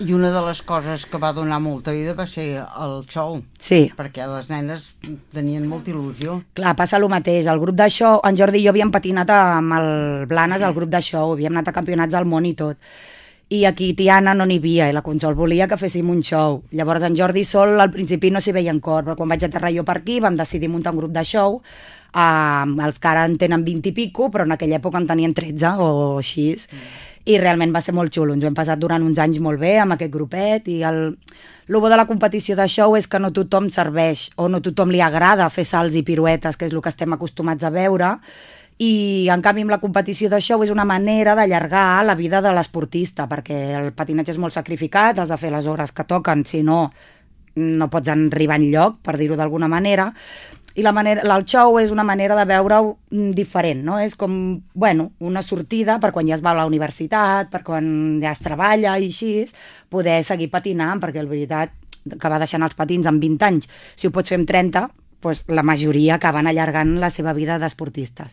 I una de les coses que va donar molta vida va ser el show. Sí. Perquè les nenes tenien molta il·lusió. Clar, passa el mateix. El grup de show, en Jordi i jo havíem patinat amb el Blanes, el grup de show, havíem anat a campionats del món i tot. I aquí Tiana no n'hi havia, i la Consol volia que féssim un show. Llavors en Jordi sol al principi no s'hi veia en cor, però quan vaig aterrar jo per aquí vam decidir muntar un grup de show, els que ara en tenen 20 i pico, però en aquella època en tenien 13 o així, i realment va ser molt xulo. Ens ho hem passat durant uns anys molt bé amb aquest grupet, i el bo de la competició de show és que no tothom serveix, o no tothom li agrada fer salts i piruetes, que és el que estem acostumats a veure, i en canvi amb la competició de show és una manera d'allargar la vida de l'esportista, perquè el patinatge és molt sacrificat, has de fer les hores que toquen, si no, no pots arribar enlloc, per dir-ho d'alguna manera, i el show és una manera de veure-ho diferent, no? És com, bueno, una sortida per quan ja es va a la universitat, per quan ja es treballa i així, poder seguir patinant, perquè la veritat que va deixant els patins amb 20 anys, si ho pots fer amb 30, doncs la majoria acaben allargant la seva vida d'esportistes.